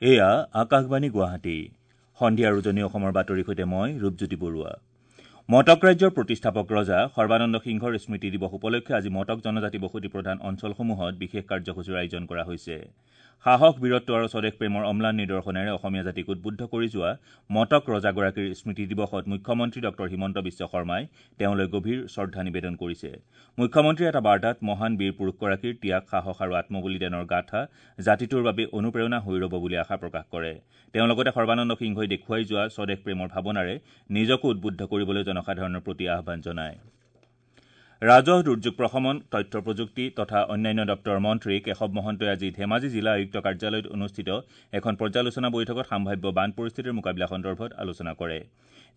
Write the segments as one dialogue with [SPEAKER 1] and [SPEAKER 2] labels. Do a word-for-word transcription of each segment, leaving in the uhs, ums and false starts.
[SPEAKER 1] এয়া আকাশবাণী গুৱাহাটী। সন্ধিয়াৰ উজনি অসমৰ বাতৰিৰ সৈতে মই ৰূপজ্যোতি বৰুৱা। মটক ৰাজ্যৰ প্ৰতিষ্ঠাপক ৰজা সৰ্বানন্দ সিংহৰ স্মৃতি দিৱস উপলক্ষে আজি মটক জনজাতি বসতি প্ৰধান অঞ্চলসমূহত বিশেষ কাৰ্যসূচীৰ আয়োজন কৰা হৈছে। সাহস, বীৰত্ব আৰু স্বদেশ প্ৰেমৰ অম্লান নিদৰ্শনেৰে অসমীয়া জাতিক উদ্বুদ্ধ কৰি যোৱা মটক ৰজাগৰাকীৰ স্মৃতি দিৱসত মুখ্যমন্ত্ৰী ডঃ হিমন্ত বিশ্ব শৰ্মাই তেওঁলৈ গভীৰ শ্ৰদ্ধা নিবেদন কৰিছে। মুখ্যমন্ত্ৰীয়ে এটা বাৰ্তাত মহান বীৰ পুৰুষগৰাকীৰ ত্যাগ, সাহস আৰু আত্মবলিদানৰ গাথা জাতিটোৰ বাবে অনুপ্ৰেৰণা হৈ ৰব বুলি আশা প্ৰকাশ কৰে। তেওঁ লগতে সৰ্বানন্দ সিংহই দেখুৱাই যোৱা স্বদেশ প্ৰেমৰ ভাৱনাৰে নিজকো উদ্বুদ্ধ কৰিবলৈ জনসাধাৰণৰ প্ৰতি আহ্বান জনায়। ৰাজহ, দুৰ্যোগ প্ৰশমন, তথ্য প্ৰযুক্তি তথা অন্যান্য দপ্তৰৰ মন্ত্ৰী কেশৱ মহন্তই আজি ধেমাজি জিলা আয়ুক্ত কাৰ্যালয়ত অনুষ্ঠিত এখন পৰ্যালোচনা বৈঠকত সাম্ভাব্য বান পৰিস্থিতিৰ মোকাবিলা সন্দৰ্ভত আলোচনা কৰে।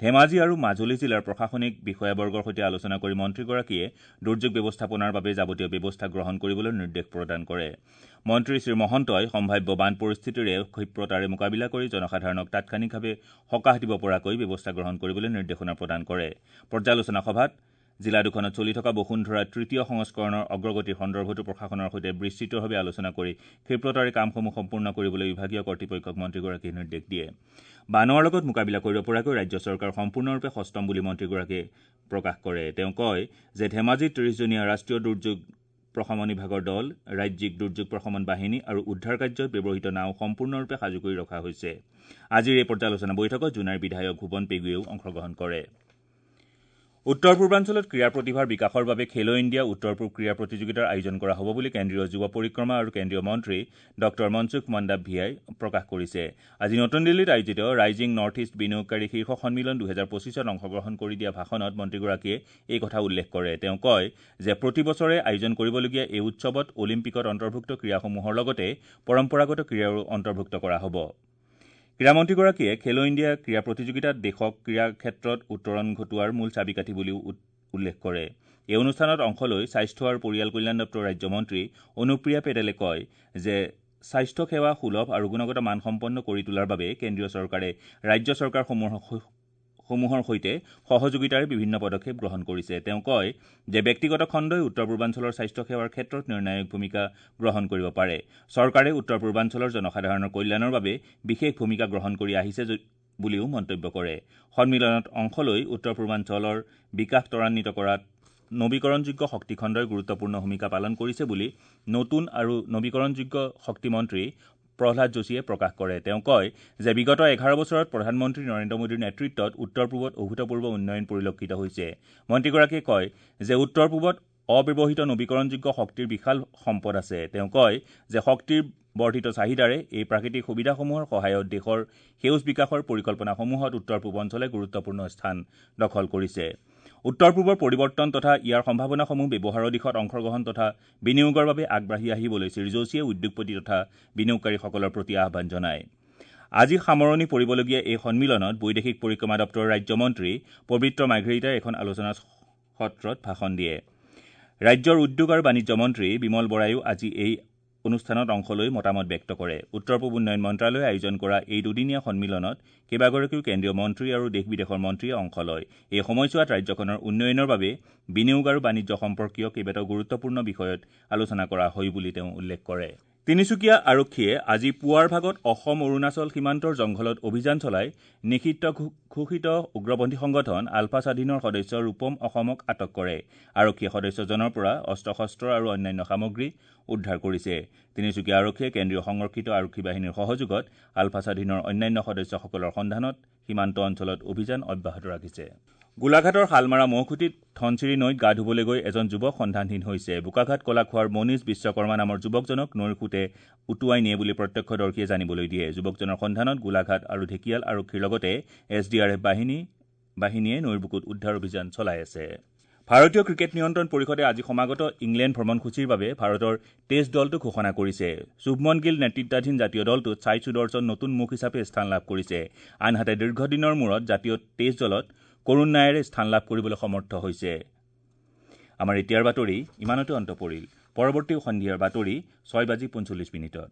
[SPEAKER 1] ধেমাজি আৰু মাজুলী জিলাৰ প্ৰশাসনিক বিষয়াবৰ্গৰ সৈতে আলোচনা কৰি মন্ত্ৰীগৰাকীয়ে দুৰ্যোগ ব্যৱস্থাপনাৰ বাবে যাৱতীয় ব্যৱস্থা গ্ৰহণ কৰিবলৈ নিৰ্দেশ প্ৰদান কৰে। মন্ত্ৰী শ্ৰীমহন্তই সম্ভাব্য বান পৰিস্থিতিৰে ক্ষিপ্ৰতাৰে মোকাবিলা কৰি জনসাধাৰণক তাৎক্ষণিকভাৱে সকাহ দিব পৰাকৈ ব্যৱস্থা গ্ৰহণ কৰিবলৈ নিৰ্দেশনা প্ৰদান কৰে। পৰ্যালোচনা সভাত জিলা দুখনত চলি থকা বসুন্ধৰা তৃতীয় সংস্কৰণৰ অগ্ৰগতিৰ সন্দৰ্ভতো প্ৰশাসনৰ সৈতে বিস্তৃতভাৱে আলোচনা কৰি ক্ষিপ্ৰতাৰে কামসমূহ সম্পূৰ্ণ কৰিবলৈ বিভাগীয় কৰ্তৃপক্ষক মন্ত্ৰীগৰাকীয়ে নিৰ্দেশ দিয়ে। বানৰ লগত মোকাবিলা কৰিব পৰাকৈ ৰাজ্য চৰকাৰ সম্পূৰ্ণৰূপে সষ্টম বুলি মন্ত্ৰীগৰাকীয়ে প্ৰকাশ কৰে। তেওঁ কয় যে ধেমাজিত ত্ৰিশজনীয়া ৰাষ্ট্ৰীয় দুৰ্যোগ প্ৰশমন বিভাগৰ দল, ৰাজ্যিক দুৰ্যোগ প্ৰশমন বাহিনী আৰু উদ্ধাৰ কাৰ্যত ব্যৱহৃত নাও সম্পূৰ্ণৰূপে সাজু কৰি ৰখা হৈছে। আজিৰ এই পৰ্যালোচনা বৈঠকত জোনাইৰ বিধায়ক ভূৱন পেগুৱেও অংশগ্ৰহণ কৰে। উত্তৰ পূৰ্বাঞ্চলত ক্ৰীড়া প্ৰতিভাৰ বিকাশৰ বাবে খেলো ইণ্ডিয়া উত্তৰ পূব ক্ৰীড়া প্ৰতিযোগিতাৰ আয়োজন কৰা হ'ব বুলি কেন্দ্ৰীয় যুৱ পৰিক্ৰমা আৰু কেন্দ্ৰীয় মন্ত্ৰী ডঃ মনসুখ মাণ্ডাভিয়াই প্ৰকাশ কৰিছে। আজি নতুন দিল্লীত আয়োজিত ৰাইজিং নৰ্থ ইষ্ট বিনিয়োগকাৰী শীৰ্ষ সন্মিলন দুহেজাৰ পঁচিছত অংশগ্ৰহণ কৰি দিয়া ভাষণত মন্ত্ৰীগৰাকীয়ে এই কথা উল্লেখ কৰে। তেওঁ কয় যে প্ৰতি বছৰে আয়োজন কৰিবলগীয়া এই উৎসৱত অলিম্পিকত অন্তৰ্ভুক্ত ক্ৰীড়াসমূহৰ লগতে পৰম্পৰাগত ক্ৰীড়াৰো অন্তৰ্ভুক্ত কৰা হ'ব। ক্ৰীড়ামন্ত্ৰীগৰাকীয়ে খেলো ইণ্ডিয়া ক্ৰীড়া প্ৰতিযোগিতাত দেশক ক্ৰীড়া ক্ষেত্ৰত উত্তৰণ ঘটোৱাৰ মূল চাবিকাঠি বুলিও উল্লেখ কৰে। এই অনুষ্ঠানত অংশ লৈ স্বাস্থ্য আৰু পৰিয়াল কল্যাণ দপ্তৰৰ ৰাজ্যমন্ত্ৰী অনুপ্ৰিয়া পেটেলে কয় যে স্বাস্থ্য সেৱা সুলভ আৰু গুণগত মানসম্পন্ন কৰি তোলাৰ বাবে কেন্দ্ৰীয় চৰকাৰে ৰাজ্য চৰকাৰসমূহৰ সমূহৰ সৈতে সহযোগিতাৰে বিভিন্ন পদক্ষেপ গ্ৰহণ কৰিছে। তেওঁ কয় যে ব্যক্তিগত খণ্ডই উত্তৰ পূৰ্বাঞ্চলৰ স্বাস্থ্য সেৱাৰ ক্ষেত্ৰত নিৰ্ণায়ক ভূমিকা গ্ৰহণ কৰিব পাৰে। চৰকাৰে উত্তৰ পূৰ্বাঞ্চলৰ জনসাধাৰণৰ কল্যাণৰ বাবে বিশেষ ভূমিকা গ্ৰহণ কৰি আহিছে বুলিও মন্তব্য কৰে। সন্মিলনত অংশ লৈ উত্তৰ পূৰ্বাঞ্চলৰ বিকাশ ত্বৰান্বিত কৰাত নবীকৰণযোগ্য শক্তিখণ্ডই গুৰুত্বপূৰ্ণ ভূমিকা পালন কৰিছে বুলি নতুন আৰু নবীকৰণযোগ্য শক্তিমন্ত্ৰী প্ৰহ্লাদ যোশীয়ে প্ৰকাশ কৰে। তেওঁ কয় যে বিগত এঘাৰ বছৰত প্ৰধানমন্ত্ৰী নৰেন্দ্ৰ মোদীৰ নেতৃত্বত উত্তৰ পূবত অভূতপূৰ্ব উন্নয়ন পৰিলক্ষিত হৈছে। মন্ত্ৰীগৰাকীয়ে কয় যে উত্তৰ পূবত অব্যৱহৃত নবীকৰণযোগ্য শক্তিৰ বিশাল সম্পদ আছে। তেওঁ কয় যে শক্তিৰ বৰ্ধিত চাহিদাৰে এই প্ৰাকৃতিক সুবিধাসমূহৰ সহায়ত দেশৰ সেউজ বিকাশৰ পৰিকল্পনাসমূহত উত্তৰ পূব অঞ্চলে গুৰুত্বপূৰ্ণ স্থান দখল কৰিছে। উত্তৰ পূবৰ পৰিৱৰ্তন তথা ইয়াৰ সম্ভাৱনাসমূহ ব্যৱহাৰৰ দিশত অংশগ্ৰহণ তথা বিনিয়োগৰ বাবে আগবাঢ়ি আহিবলৈ শ্ৰীযোশীয়ে উদ্যোগপতি তথা বিনিয়োগকাৰীসকলৰ প্ৰতি আহ্বান জনায়। আজি সামৰণি পৰিবলগীয়া এই সন্মিলনত বৈদেশিক পৰিক্ৰমা দপ্তৰৰ ৰাজ্যমন্ত্ৰী পবিত্ৰ মাৰ্ঘেৰিটাই এখন আলোচনা সত্ৰত ভাষণ দিয়ে। ৰাজ্যৰ উদ্যোগ আৰু বাণিজ্য মন্ত্ৰী বিমল বৰায়ো আজি এই অনুষ্ঠানত অংশ লৈ মতামত ব্যক্ত কৰে। উত্তৰ পূব উন্নয়ন মন্ত্ৰালয়ে আয়োজন কৰা এই দুদিনীয়া সন্মিলনত কেইবাগৰাকীও কেন্দ্ৰীয় মন্ত্ৰী আৰু দেশ বিদেশৰ মন্ত্ৰীয়ে অংশ লয়। এই সময়ছোৱাত ৰাজ্যখনৰ উন্নয়নৰ বাবে বিনিয়োগ আৰু বাণিজ্য সম্পৰ্কীয় কেইবাটাও গুৰুত্বপূৰ্ণ বিষয়ত আলোচনা কৰা হয় বুলি তেওঁ উল্লেখ কৰে। তিনিচুকীয়া আৰক্ষীয়ে আজি পুৱাৰ ভাগত অসম অৰুণাচল সীমান্তৰ জংঘলত অভিযান চলাই নিষিদ্ধ ঘোষিত উগ্ৰপন্থী সংগঠন আলফা স্বাধীনৰ সদস্য ৰূপম অসমক আটক কৰে। আৰক্ষীয়ে সদস্যজনৰ পৰা অস্ত্ৰ শস্ত্ৰ আৰু অন্যান্য সামগ্ৰী উদ্ধাৰ কৰিছে। তিনিচুকীয়া আৰক্ষীয়ে কেন্দ্ৰীয় সংৰক্ষিত আৰক্ষী বাহিনীৰ সহযোগত আলফা স্বাধীনৰ অন্যান্য সদস্যসকলৰ সন্ধানত সীমান্ত অঞ্চলত অভিযান অব্যাহত ৰাখিছে। গোলাঘাটৰ শালমাৰা মহখুটিত ধনশিৰি নৈত গা ধুবলৈ গৈ এজন যুৱক সন্ধানহীন হৈছে। বোকাঘাট কলাখোৱাৰ মনীষ বিশ্বকৰ্মা নামৰ যুৱকজনক নৈৰ সোঁতে উটুৱাই নিয়ে বুলি প্ৰত্যক্ষদৰ্শীয়ে জানিবলৈ দিয়ে। যুৱকজনৰ সন্ধানত গোলাঘাট আৰু ঢেকিয়াল আৰক্ষীৰ লগতে এছ ডি আৰ এফ বাহিনী বাহিনীয়ে নৈৰ বুকুত উদ্ধাৰ অভিযান চলাই আছে। ভাৰতীয় ক্ৰিকেট নিয়ন্ত্ৰণ পৰিষদে আজি সমাগত ইংলেণ্ড ভ্ৰমণসূচীৰ বাবে ভাৰতৰ টেষ্ট দলটো ঘোষণা কৰিছে। শুভমন গিল নেতৃত্বাধীন জাতীয় দলটোত ছাই সুদৰ্শন নতুন মুখ হিচাপে স্থান লাভ কৰিছে। আনহাতে দীৰ্ঘদিনৰ মূৰত জাতীয় টেষ্ট দলত কৰুণ নায়াৰে স্থান লাভ কৰিবলৈ সমৰ্থ হৈছে। আমাৰ এতিয়াৰ বাতৰি ইমানতে অন্ত পৰিল। পৰৱৰ্তী সন্ধিয়াৰ বাতৰি ছয় বাজি পঞ্চল্লিছ মিনিটত।